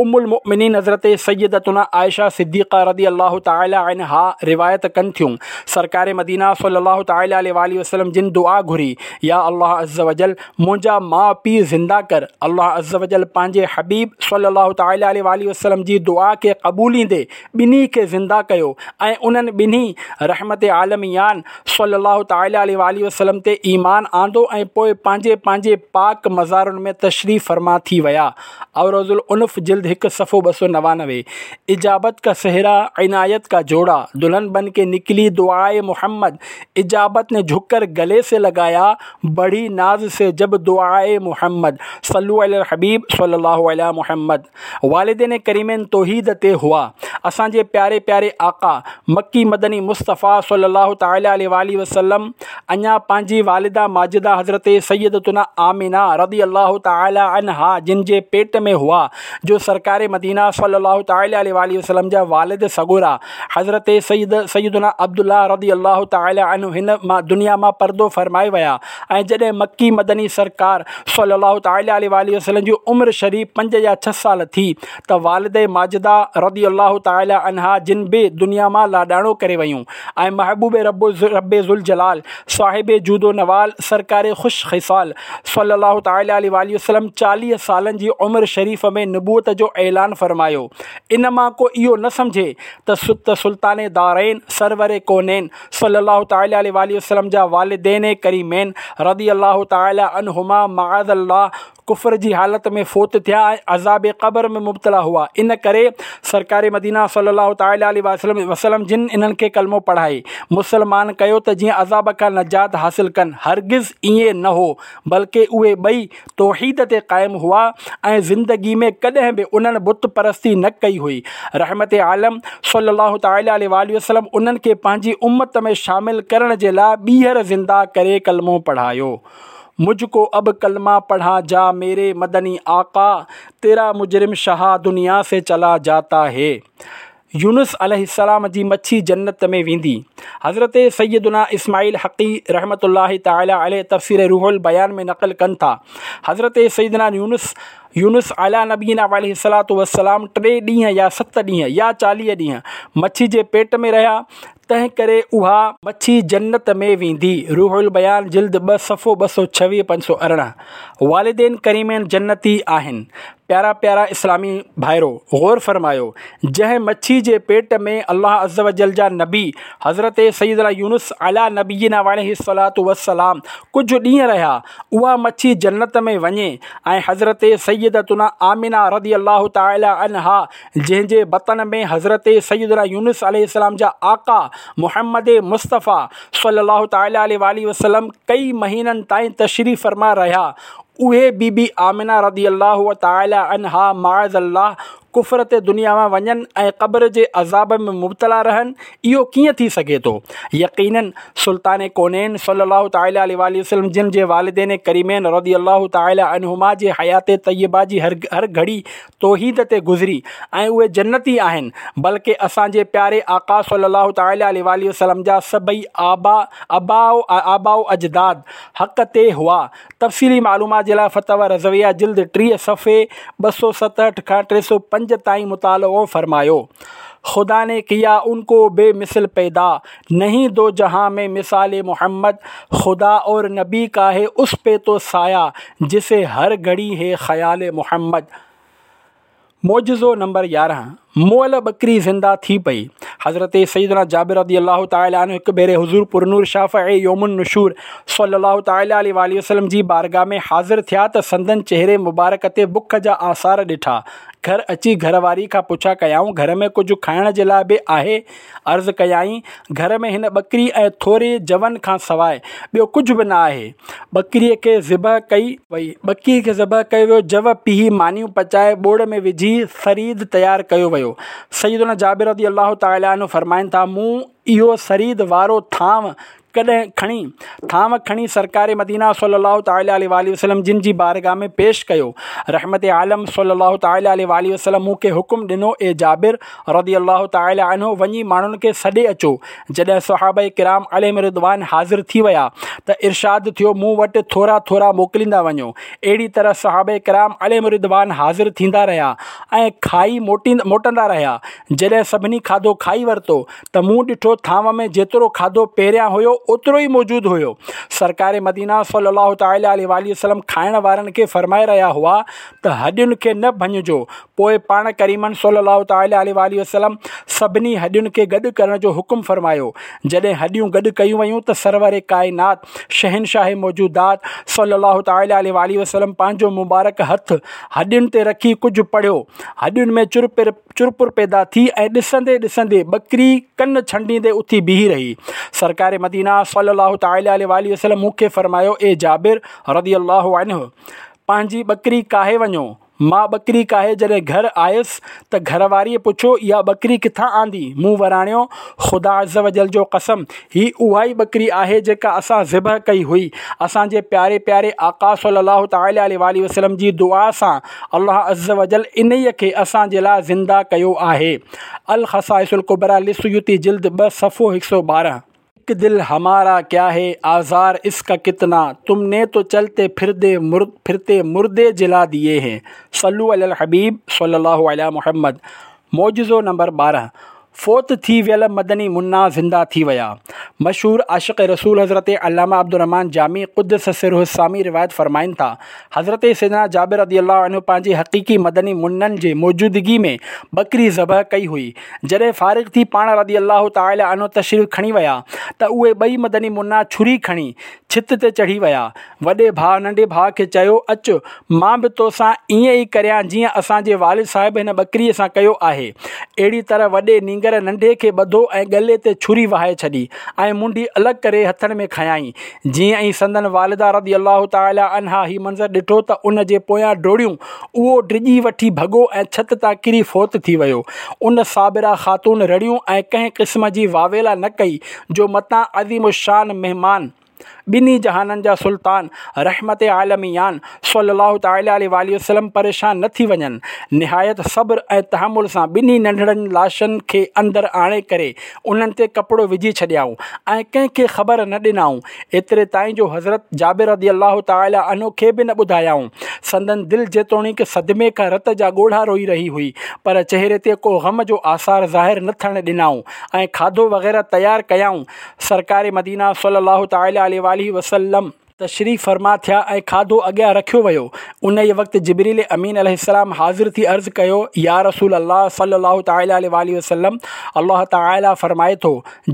ام المؤمنين حضرت سيدتنا عائشه صديقه رضي الله تعالٰي عنها روايت ڪن ٿيون، سرڪار مدينه صلي الله تعالٰي عليه واٰله وسلم جن دعا گهري، يا الله عزّوجلّ منهنجا ماء پيء زنده ڪر، الله عزّوجلّ پنهنجي حبيب صلي الله تعالٰي عليه واٰله وسلم جي دعا کي قبوليندي ٻنهي کي زنده ڪيو ۽ انهن ٻنهي رحمت عالميان صلّي الله تعالٰي عليه واٰله وسلّم تي ايمان آندو ۽ پوء پنهنجي پنهنجي پاڪ مزارن ۾ تشريف فرما ٿي ويا. الروض الانف جلد هڪ صفحو 299. اجابت کا سهرا عنايت کا جوڙا دلهن بن ڪي نڪلي دعاء محمد اجابت ني جهڪ ڪر گلي سي لگايا بڙهي ناز سي جب دعاء محمد صلو علي الحبيب صلي الله علي محمد. والدين ڪريمين توحيد تي هئا. اسان جي پياري پياري آقا، مڪي مدني مصطفيٰ صلّي الله تعالٰي عليه واٰله وسلّم اڃا پنهنجي والده ماجده حضرت سيدتنا آمنه رضي الله تعالٰي عنها جن جي پيٽ ۾ هئا جو سرڪار مدينه صلّي الله تعالٰي عليه واٰله وسلّم جا والد سڳورا حضرت سيد سيدنا عبدالله رضي الله تعالٰي عنه هن دنيا مان پردو فرمائي ويا ۽ جڏهن مڪي مدني سرڪار صلّي الله تعالٰي عليه واٰله وسلّم جي عمر شريف پنج يا ڇهه سال ٿي ته والده ماجده رضي الله تعالٰي عنها جن به دنيا مان لاڏاڻو ڪري ويون ۽ محبوب رب ربّ ذوالجلال صاحب جود و نوال سرڪار خوش خصال صلّي الله تعالٰي عليه واٰله وسلّم 40 سالن جي عمر شريف ۾ نبوت جو اعلان فرمايو. ان مان ڪو اهو نه سمجهي ته سلطان دارين سرور ڪونين صلّي الله تعالٰي عليه واٰله وسلّم جا والدين ڪريمين رضي الله تعالٰي عنهما معاذ الله ڪفر جي حالت ۾ فوت ٿيا ۽ عذاب قبر ۾ مبتلا هئا، ان ڪري سرڪار مدينه صلّي الله تعالٰي عليه واٰله وسلّم جن انهن کي ڪلمو پڙهائي مسلمان ڪيو ته جيئن عذاب کان نجات حاصل ڪن، هرگز ائين نه هو بلڪه اهي ٻئي توحيد تي قائم هئا ۽ زندگي ۾ ڪڏهن به انهن بت پرستي نه ڪئي هئي. رحمت عالم صلّي الله تعالٰي عليه واٰله وسلّم انهن کي پنهنجي امت ۾ شامل ڪرڻ جي لاء ٻيهر زنده ڪري ڪلمو پڙهايو. مجھ ڪو اب ڪلمه پڙها جا ميري مدني آقا تيرا مجرم شاهه دنيا سي چلا جاتا هي يونس عليه السلام جي مڇي جنت ۾ ويندي. حضرت سيدنا اسماعيل حقي رحمة الله تعالٰي عليه تفسير روح البيان ۾ نقل ڪن ٿا، حضرت سيدنا يونس يونس علي نبينا وعليه الصلوة والسلام ٽي ڏينهن يا ست ڏينهن يا 40 ڏينهن مڇي جي پيٽ ۾ رهيا، تنهن ڪري اها مڇي جنت ۾ ويندي. روح البيان جلد 2 صفحو 226 518. والدين ڪريمين جنتي آهن. پيارا پيارا اسلامي ڀائرو! غور فرمايو! جنهن مڇي جي پيٽ ۾ الله عزّوجلّ جا نبي حضرت سيدنا يونس علي نبينا وعليه الصلوة والسلام ڪجهه ڏينهن رهيا، اها مڇي جنت ۾ وڃي ۽ حضرت سيدتنا آمنه رضي الله تعالٰي عنها جنهن جي بطن ۾ حضرت سيدنا يونس عليه السلام جا آقا محمد مصطفيٰ صلّي الله تعالٰي عليه واٰله وسلّم ڪئي مهينن تائين تشريف فرما رهيا، اهي بي بي آمنه رضي الله تعالٰي عنها معاذ الله ڪفر تي دنيا مان وڃن ۽ قبر جي عذاب ۾ مبتلا رهن، اهو ڪيئن ٿي سگهي ٿو؟ يقيناً سلطان ڪونين صلّي الله تعالٰي عليه واٰله وسلّم جن جي والدين ڪريمين رضي الله تعالٰي عنهما جي حيات طيبه جي هر گهڙي توحيد تي گذري ۽ اهي جنتي آهن، بلڪه اسان جي پياري آقا صلّي الله تعالٰي عليه واٰله وسلّم جا سڀئي آبا آباء و اجداد حق تي هئا. تفصيلي معلومات جي لاء فتاويٰ رضويه جلد 30 صفحي 267 کان 305 تائين مطالعو فرمايو. خدا ني ڪيا ان ڪو بي مثل پيدا، نهين دو جهان ۾ مثال محمد، خدا اور نبي ڪا هي اس پي تو سايه، جسي هر گهڙي هي خيال محمد. معجزو نمبر 11، مئل ٻڪري زنده ٿي پئي. حضرت سيدنا جابر رضي الله تعالٰي عنه هڪ ڀيري حضور پرنور شافع يوم النشور صلّي الله تعالٰي عليه واٰله وسلّم جي بارگاھ ۾ حاضر ٿيا ته سندن چهري مبارڪ تي بک جا آثار ڏٺا. گهر اچي گهر واري کان پڇا ڪيائون، گهر ۾ ڪجهه کائڻ جي لاء به آهي؟ عرض ڪيائين، گهر ۾ هن ٻڪري ۽ ٿوري جون کان سواء ٻيو ڪجهه به نه آهي. ٻڪريء کي ذبح ڪئي وئي. ٻڪريء کي ذبح ڪيو ويو، جو پيهي مانيون پچائي ٻوڙ ۾ وجهي ثريد تيار ڪيو ويو. سيدنا جابر رضي الله تعالٰي عنه فرمائن ٿا، مون اهو ثريد وارو ٿانو ڪڏهن کڻي، ٿانو کڻي سرڪار مدينه صلّي الله تعالٰي عليه واٰله وسلّم جن جي بارگاھ ۾ پيش ڪيو. رحمت عالم صلّي الله تعالٰي عليه واٰله وسلّم مون کي حڪم ڏنو، اي جابر رضي الله تعالٰي عنه وڃي ماڻهن کي سڏي اچو. جڏهن صحابه ڪرام عليهم الرضوان حاضر ٿي ويا ته ارشاد ٿيو، مون وٽ ٿورا ٿورا موڪليندا وڃو. اهڙي طرح صحابه ڪرام عليهم الرضوان حاضر ٿيندا رهيا ۽ کائي موٽندا رهيا. جڏهن سڀني کاڌو کائي ورتو ته مون ڏٺو ٿانو ۾ جيترو کاڌو پهريان هيو اوترو ئي موجود هيو. سرڪار مدينه صلّي الله تعالٰي عليه واٰله وسلّم کائڻ وارن کي فرمائي رهيا هئا ته هڏين کي نه ڀڃجو، پوء پاڻ ڪريمن صلّي الله تعالٰي عليه واٰله وسلّم سڀني هڏين کي گڏ ڪرڻ جو حڪم فرمايو. جڏهن هڏيون گڏ ڪيون ويون ته سرور ڪائنات، شهنشاهه موجودات صلّي الله تعالٰي عليه واٰله وسلّم پنهنجو مبارڪ هٿ هڏين تي رکي ڪجهه پڙهيو، هڏين ۾ چرپر چرپر پيدا ٿي ۽ ڏسندي ڏسندي ٻڪري ڪن ڇنڊيندي اٿي بيهي رهي. سرڪار مدينه صلّي الله تعالٰي عليه واٰله وسلّم مون کي فرمايو، اي جابر رضي الله عنه! پنهنجي ٻڪري ڪاهي وڃو. مان ٻڪري ڪاهي جڏهن گهر آيس ته گهر واريء پڇيو، اها ٻڪري ڪٿان آندي؟ مون وراڻيو، خدا عزّوجلّ جو قسم! هي اها ئي ٻڪري آهي جيڪا اسان ذبح ڪئي هئي. اسان جي پياري پياري آقا صلّي الله تعالٰي عليه واٰله وسلّم جي دعا سان الله عزّوجلّ انهيء کي اسان جي لاء زنده ڪيو آهي. الخصائص الڪبريٰ للسيوطي جلد 2 صفحو 112. اڪ دل همارا ڪيا هي آزار اس ڪا ڪتنا تم ني تو چلتي ڦردي ڦرتي مردي جلا ديي هين صلو علي الحبيب صلي الله علي محمد معجزو نمبر 12. فوت ٿي ويل مدني منا زنده ٿي ويا. مشهور عاشق رسول حضرت علامه عبدالرحمان جامي قدس سره السامي روايت فرمائن ٿا، حضرت سيدنا جابر رضي الله عنه پنهنجي حقيقي مدني منن جي موجودگي ۾ ٻڪري ذبح ڪئي هئي. جڏهن فارغ ٿي پاڻ رضي الله تعالٰي عنه تشريف کڻي ويا ته اهي ٻئي مدني منا ڇري کڻي ڇت تي چڙهي ويا. وڏي ڀاء ننڍي ڀاء کي چيو، اچ، مان به توسان ائين ئي ڪريان جيئن اسان جي والد صاحب هن ٻڪريء سان ڪيو آهي. اهڙي طرح وڏي نينگر ننڍي کي ٻڌو ۽ ڳلي تي ڇري وهائي ڇڏي ۽ منڍي الڳ ڪري هٿن ۾ کنيائين. جيئن ئي سندن والده رضي الله تعالٰي عنها هي منظر ڏٺو ته ان جي پويان ڊوڙيون، اهو ڊڄي وٺي ڀڳو ۽ ڇت تان ڪري فوت ٿي ويو. ان صابره خاتون رڙيون ۽ ڪنهن قسم جي واويلا نه ڪئي جو متان عظيم الشان مهمان، ٻنهي جهانن جا سلطان، رحمت عالميان صلّي الله تعالٰي عليه واٰله وسلّم پريشان نه ٿي وڃن. نهايت صبر ۽ تحمل سان ٻنهي ننڍڙن لاشن کي اندر آڻي ڪري انهن تي ڪپڙو وجهي ڇڏيائون ۽ ڪنهن کي خبر نه ڏنائون ايتري تائين جو حضرت جابر رضي الله تعالٰي عنه کي به نه ٻڌايائون. سندن دل جيتوڻيڪ صدمي کان رت جا ڳوڙها روئي رهي هئي پر چهري تي ڪو غم جو آثار ظاهر نه ٿيڻ ڏنائون ۽ کاڌو وغيره تيار ڪيائون. سرڪار مدينه صلّي الله تعالٰي عليه واٰله وسلّم تشريف فرما ٿيا ۽ کاڌو اڳيان رکيو ويو. انهيء وقت جبرئيل امين عليه السلام حاضر ٿي عرض ڪيو، يا رسول الله صلّي الله تعالٰي عليه واٰله وسلّم! الله تعاليٰ فرمائي ٿو،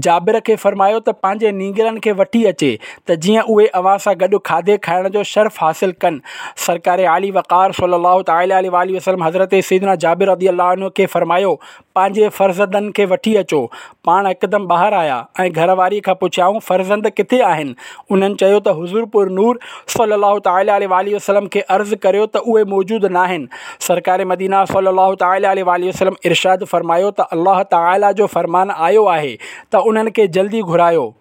جابر کي فرمايو ته پنهنجي نينگرن کي وٺي اچي ته جيئن اهي اوهان سان گڏ کاڌي کائڻ جو شرف حاصل ڪن. سرڪار عالي وقار صلّي الله تعالٰي عليه واٰله وسلّم حضرت سيدنا جابر رضي الله عنه کي فرمايو، پنهنجي فرزندن کي وٺي اچو. پاڻ هڪدم ٻاهر آيا ۽ گهر واريء کان پڇيائون، فرزند ڪٿي آهن؟ انهن چيو ته حضور پر نور صلّي الله تعالٰي عليه واٰله وسلّم کي عرض ڪريو ته اهي موجود ناهن. سرڪار مدينه صلّي الله تعالٰي عليه واٰله وسلّم ارشاد فرمايو ته الله تعالٰي جو فرمان آيو آهي ته انهن کي جلدي گهرايو.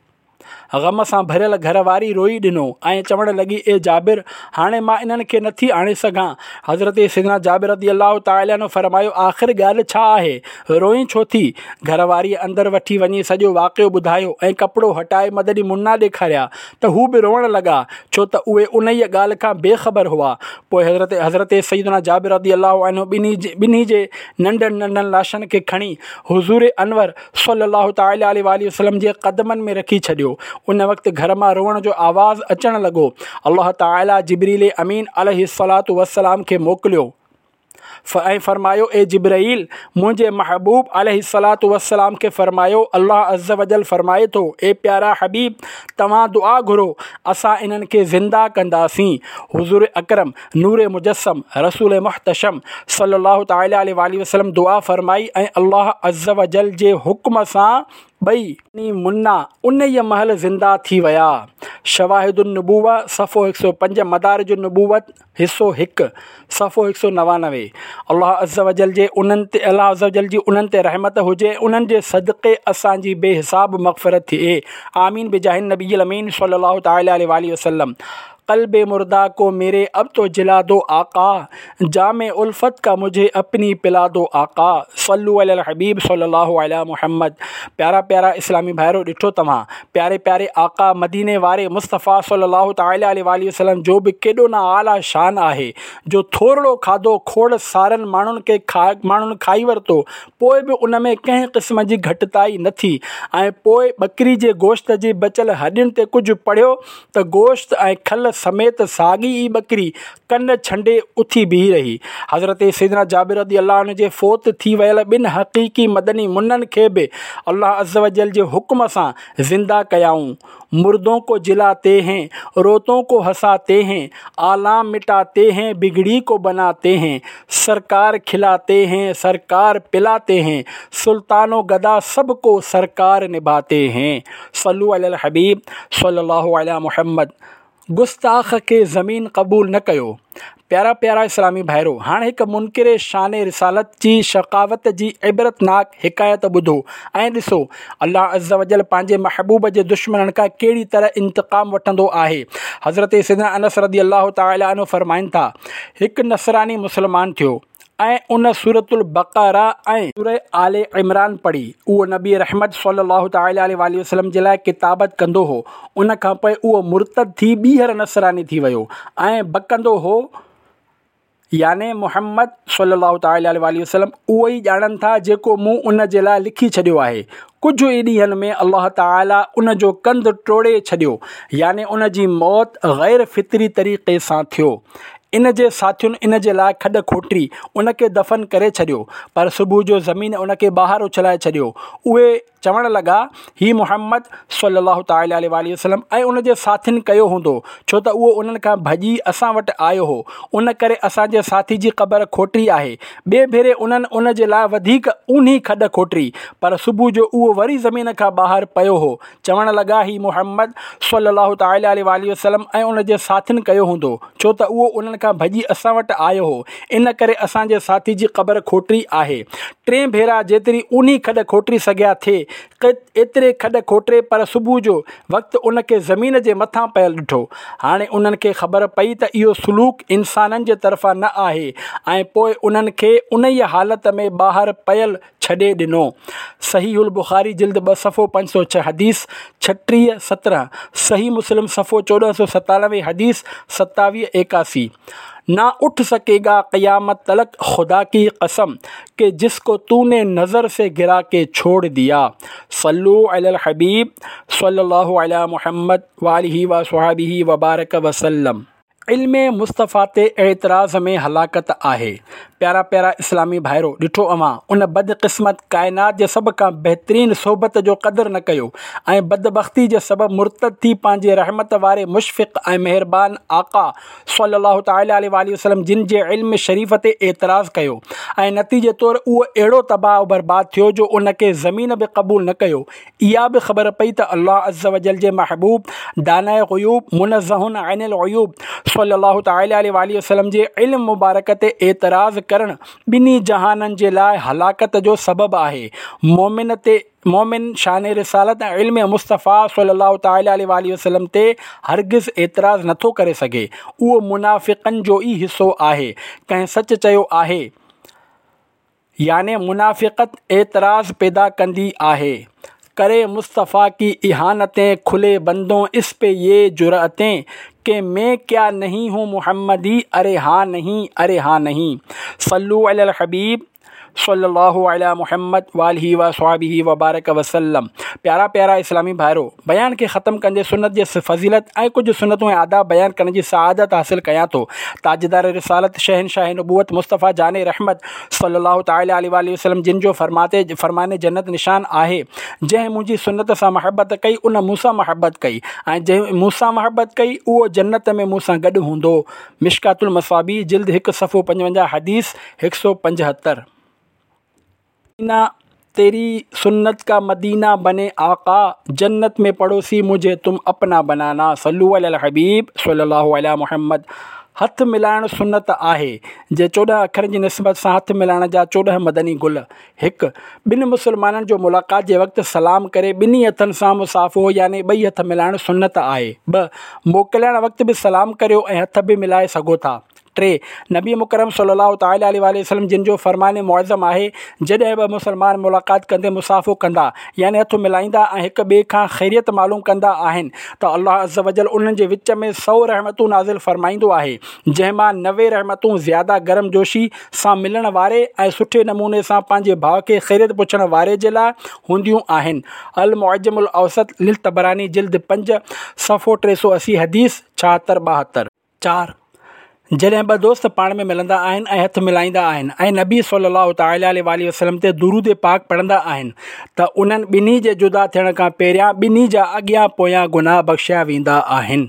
غم سان ڀريل گهر واري روئي ڏنو ۽ چوڻ لڳي، اي جابر! هاڻي مان انهن کي نٿي آڻي سگهان. حضرت سيدنا جابر رضي الله تعالٰي عنه فرمايو، آخر ڳالهه ڇا آهي؟ روئين ڇو ٿي؟ گهر واريء اندر وٺي وڃي سڄو واقعو ٻڌايو ۽ ڪپڙو هٽائي مدني منا ڏيکاريا ته هو به روئڻ لڳا، ڇو ته اهي انهيء ڳالهه کان بي خبر هئا. پوء حضرت حضرت سيدنا جابر رضي الله عنه ٻنهي جي ننڍن ننڍن لاشن کي کڻي حضور انور صلّي الله تعالٰي عليه واٰله وسلّم جي قدمن ۾ رکي ڇڏيو. ان وقت گهر مان روئڻ جو آواز اچڻ لڳو. الله تعالٰي جبرئيل امين عليه الصلوة والسلام کي موڪليو ۽ فرمايو، اي جبرئيل! منهنجي محبوب عليه الصلوة والسلام کي فرمايو، الله عزّوجلّ فرمائي ٿو، اي پيارا حبيب! توهان دعا گهرو، اسان انهن کي زنده ڪنداسين. حضور اڪرم نور مجسم، رسول محتشم صلّي الله تعالٰي عليه واٰله وسلّم دعا فرمائي ۽ الله عزّوجلّ جي حڪم سان ٻئي مدني منا انهيء مهل زنده ٿي ويا. شواهد النبوة صفحو 105 مدارج النبوت حصو 1 صفحو 199 الله عزّوجلّ جي انهن تي الله عزّوجلّ جي انهن تي رحمت هجي ۽ انهن جي صدقي اسان جي بي حساب مغفرت ٿئي آمين بجاه النبي الامين صلّي الله تعالٰي عليه واٰله وسلّم قلب مرده کو ميري اب تو جلا دو آقا جام الفت کا مجهي اپني پلا دو آقا صلو علي الحبيب صلي الله علي محمد پيارا پيارا اسلامي ڀائرو ڏٺو توهان پياري پياري آقا مديني واري مصطفيٰ صلي الله تعالي عليه واٰله وسلم جو به ڪيڏو نه اعليٰ شان آهي جو ٿورڙو کاڌو کوڙ سارن ماڻهن کي ماڻهن کائي ورتو پوء به ان ۾ ڪنهن قسم جي گهٽتائي نه ٿي ۽ پوء ٻڪري جي گوشت جي بچيل هڏين تي ڪجهه پڙهيو ته گوشت ۽ کل سميت ساڳي ئي ٻڪري ڪن ڇنڊي اٿي بيهي رهي. حضرت سيدنا جابر رضي الله عنه جي فوت ٿي ويل ٻن حقيقي مدني منن کي به الله عزّوجلّ جي حڪم سان زنده ڪيائون. مردون کو جلاتي هين، روتون کو هساتي هين، آلام مٽاتي هين، بگڙي کو بناتي هين، سرڪار کلاتي هين، سرڪار پلاتي هين، سلطان و گدا سب کو سرڪار نڀاتي هين. صلو علي الحبيب صلي الله علي محمد گستاخ کي زمين قبول نه ڪيو. پيارا پيارا اسلامي ڀائرو! هاڻ هڪ منڪر شان رسالت جي شقاوت جي عبرتناڪ حڪايت ٻڌو ۽ ڏسو الله عزّوجلّ پنهنجي محبوب جي دشمنن کان ڪهڙي طرح انتقام وٺندو آهي. حضرت سيدنا انس رضي الله تعالٰي عنه فرمائن ٿا، هڪ نصراني مسلمان ٿيو. ۽ ان سورة البقره ۽. سورة آل عمران پڙهي. اهو نبي رحمت صلّي الله تعالٰي عليه واٰله وسلّم جي لاء ڪتابت ڪندو هو. ان کان پوء اهو مرتد ٿي ٻيهر نصراني ٿي ويو ۽ بڪندو هو، يعني محمد صلّي الله تعالٰي عليه واٰله وسلّم اهو ئي ڄاڻن ٿا جيڪو مون ان جي لاء لکي ڇڏيو آهي. ڪجهه ئي ڏينهن ۾ الله تعالٰي ان جو ڪنڌ ٽوڙي ڇڏيو يعني ان جي موت غير فطري طريقي سان ٿيو. ان جي ساٿين ان جي لاء کڏ کوٽي ان کي دفن ڪري ڇڏيو پر صبح جو زمين ان کي ٻاهر اڇلائي ڇڏيو. اهي چوڻ لڳا، هي محمد صلّي الله تعالٰي عليه واٰله وسلّم ۽ ان جي ساٿين ڪيو هوندو، ڇو ته اهو انهن کان ڀڄي اسان وٽ آيو هو، ان ڪري اسان جي ساٿي جي قبر کوٽي آهي. ٻئي ڀيري انهن ان جي لاء وڌيڪ اونهي کڏ کوٽي، پر صبح جو اهو وري زمين کان ٻاهر پيو هو. چوڻ لڳا، هي محمد صلّي الله تعالٰي عليه واٰله وسلّم ۽ ان جي ساٿين ڪيو هوندو، ڇو ته اهو انهن کان ڀڄي اسان وٽ آيو هو، ان ڪري اسان جي ساٿي جي قبر کوٽي آهي. ٽئين ڀيرا جيتري اونهي کڏ کوٽي سگهيا ٿي، ايتري کڏ کوٽي پر صبح جو وقت ان کي زمين جي مٿان پيل ڏٺو. هاڻي انهن کي خبر پئي ته اهو سلوڪ انسانن جي طرفان نه آهي ۽ پوء انهن کي انهيء حالت ۾ ٻاهر پيل ڇڏي ڏنو. صحيح البخاري جلد ٻه صفحو 506 حديث 36 17، صحيح مسلم صفحو 1497 حديث 27 81. نا اٺ سڪي گا قيامت تلڪ خدا ڪي قسم ڪي جس ڪو تو ني نظر سي گرا ڪي ڇوڙ ديا. صلو علي الحبيب صلي الله علي محمد واله وصحبه وبارڪ وسلم. علم مصطفيٰ تي اعتراض ۾ هلاڪت آهي. پيارا پيارا اسلامي ڀائرو! ڏٺو اوهان ان بدقسمت ڪائنات جي سڀ کان بهترين صحبت جو قدر نه ڪيو ۽ بدبختي جي سبب مرتد ٿي پنهنجي رحمت واري مشفق ۽ مهربان آقا صلّي الله تعالٰي عليه واٰله وسلّم جن جي علم شريف تي اعتراض ڪيو ۽ نتيجي طور اهو اهڙو تباهه و برباد ٿيو جو ان کي زمين به قبول نه ڪيو اها به خبر پئي ته الله عزّوجلّ جي محبوب، داناء غيوب، منزّه عن العيوب صلّي الله تعالٰي عليه واٰله وسلّم جي علم مبارڪ تي اعتراض ڪرڻ ٻنهي جهانن جي لاء هلاڪت جو سبب آهي. مؤمن تي مؤمن شان رسالت ۽ علم مصطفيٰ صلّي الله تعالٰي عليه واٰله وسلّم تي هرگز اعتراض نٿو ڪري سگهي، اهو منافقن جو ئي حصو آهي. ڪنهن سچ چيو آهي. يعني منافقت اعتراض پيدا ڪندي آهي. ڪري مصطفيٰ ڪي اهانتين کلي بندون اس پي يي جرئتين ڪي مين ڪيا نهين هون محمدي اري هان نهين اري هان نهين صلو علي الحبيب صلي الله علي محمد واله وصحبه وبارڪ وسلم پيارا پيارا اسلامي ڀائرو بيان کي ختم ڪندي سنت جي فضيلت ۽ ڪجهه سنتون ۽ آداب بيان ڪرڻ جي سعادت حاصل ڪيان ٿو تاجدار رسالت شهنشاهه نبوت مصطفيٰ جان رحمت صلي الله تعالٰي عليه واٰله وسلم جن جو فرماتي فرمان جنت نشان آهي جنهن منهنجي سنت سان محبت ڪئي ان مون سان محبت ڪئي ۽ جنهن مون سان محبت ڪئي اهو جنت ۾ مون سان گڏ هوندو مشڪات المصابيح جلد هڪ صفحو 55 حديث 175. مدينه تيري سنت کا مدينه بني آقا جنت ۾ پڙوسي مجهي تم اپنا بنانا صلو علي الحبيب صلي الله علي محمد هٿ ملائڻ سنت آهي جي 14 اکرن جي نسبت سان هٿ ملائڻ جا 14 مدني گل هڪ. ٻن مسلمانن جو ملاقات جي وقت سلام ڪري ٻنهي هٿن سان مصافحو يعني ٻئي هٿ ملائڻ سنت آهي. ٻه. موڪلائڻ وقت به سلام ڪريو ۽ هٿ به ملائي سگهو ٿا. ٽي، نبي مڪرم صلّي الله تعالٰي عليه واٰله وسلّم جن جو فرمان معظم آهي، جڏهن ٻه مسلمان ملاقات ڪندي مصافحو ڪندا، يعني هٿ ملائيندا ۽ هڪ ٻئي کان خيريت معلوم ڪندا آهن ته الله عزّوجلّ انهن جي وچ ۾ سئو رحمتون نازل فرمائيندو آهي، جنهن مان 90 رحمتون زياده گرم جوشي سان ملڻ واري ۽ سٺي نموني سان پنهنجي ڀاء کي خيريت پڇڻ واري جي لاء هونديون آهن. المعجم الاوسط للطبراني جلد پنج صفحو 380 حديث 76 72. چار، جڏهن ٻه دوست پاڻ ۾ ملندا آهن ۽ هٿ ملائيندا آهن ۽ نبي صلّي الله تعالٰي عليه واٰله وسلّم تي درود پاڪ پڙهندا آهن ته انهن ٻنهي جي جدا ٿيڻ کان پهريان ٻنهي جا اڳيان پويان گناهه بخشيا ويندا آهن.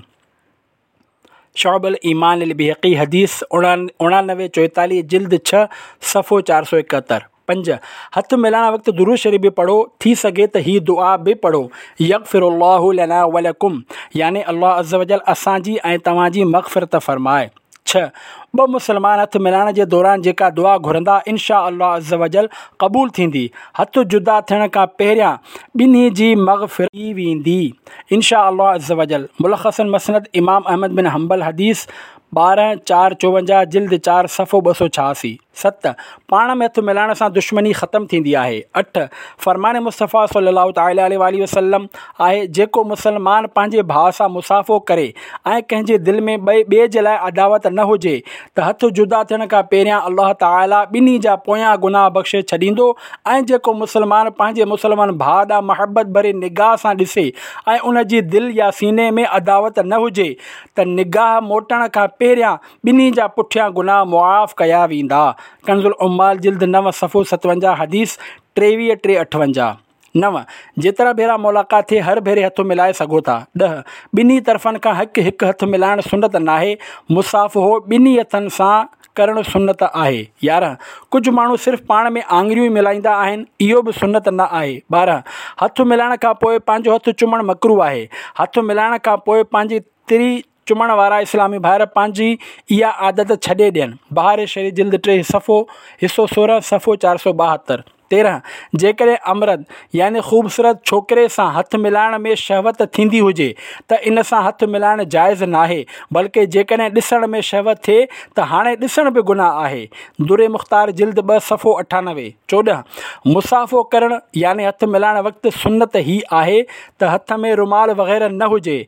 شعب الايمان للبيهقي حديث 89 44 جلد ڇهه صفحو 471. پنج، هٿ ملائڻ وقت درود شريف به پڙهو، ٿي سگهي ته هي دعا به پڙهو، يغفر الله لنا ولڪم يعني الله عزّوجلّ اسان جي ۽ توهان جي مغفرت فرمائي. ڇهه، ٻه مسلمان هٿ ملائڻ جي دوران جيڪا دعا گهرندا ان شآء الله عزّوجلّ قبول ٿيندي، هٿ جدا ٿيڻ کان پهريان ٻنهي جي مغفرت ٿي ويندي ان شآء الله عزّوجلّ، ملخص مسند امام احمد بن حنبل حديث 12 4 54 جلد چار صفحو 286. ست، پاڻ ۾ هٿ ملائڻ سان دشمني ختم ٿيندي آهي. اٺ، فرمان مصطفيٰ صلّي الله تعالٰي عليه واٰله وسلّم آهي، جيڪو مسلمان پنهنجي ڀاء سان مصافحو ڪري ۽ ڪنهن جي دل ۾ ٻئي جي لاء عداوت نه هجي ته هٿ جدا ٿيڻ کان پهريان الله تعاليٰ ٻنهي جا پويان گناهه بخشي ڇڏيندو ۽ جيڪو مسلمان پنهنجي مسلمان ڀاء ڏانهن محبت ڀري نگاهه سان ڏسي ۽ ان جي دل يا سيني ۾ عداوت نه هجي ته نگاهه موٽڻ کان پهريان ٻنهي جا پٺيان گناهه معاف ڪيا ويندا. ڪنزالعمال جلد 9 صفحو 57 حديث 23 3 58. 9، جيترا ڀيرا ملاقات ٿئي هر ڀيري هٿ ملائي سگهو ٿا. 10، ٻنهي طرفن کان هڪ هڪ هٿ ملائڻ سنت ناهي، مصافحو ٻنهي هٿن سان ڪرڻ سنت آهي. 11، ڪجهه ماڻهو صرف پاڻ ۾ آڱريون ئي ملائيندا آهن، اهو به سنت نه آهي. 12، هٿ ملائڻ کان پوء پنهنجو هٿ چمڻ مڪروه آهي. هٿ ملائڻ کان پوء پنهنجي تري چمڻ وارا اسلامي ڀائر پنهنجي اها عادت ڇڏي ڏين. بهار شريعت جلد 3 صفحو حصو 16 صفحو 472. 13، جيڪڏهن امرد يعني خوبصورت ڇوڪري سان هٿ ملائڻ ۾ شهوت ٿيندي هجي ته ان سان هٿ ملائڻ جائز ناهي بلڪه جيڪڏهن ڏسڻ ۾ شهوت ٿئي ته هاڻي ڏسڻ به گناهه آهي. در مختار جلد 2 صفحو 98. 14، مصافحو ڪرڻ يعني هٿ ملائڻ وقت سنت هي آهي ته هٿ ۾ رومال وغيره نه هجي،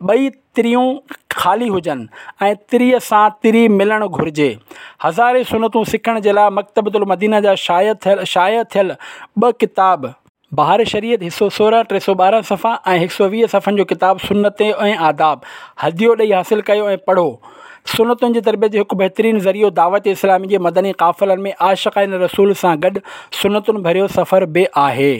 ٻئي تريون خالي هجن ۽ تريء سان تري ملڻ گهرجي. هزارين سنتون سکڻ جي لاء مڪتبة المدينه جا شايع ٿيل شايع ٿيل ٻه ڪتاب، بهار شريعت حصو 16 312 صفحا ۽ 120 صفحن جو ڪتاب سنتون ۽ آداب هديو ڏئي حاصل ڪيو ۽ پڙهو. سنتن جي تربيت جو هڪ بهترين ذريعو دعوت اسلامي جي مدني قافلن ۾ عاشقان رسول سان گڏ سنتن ڀريو سفر به آهي.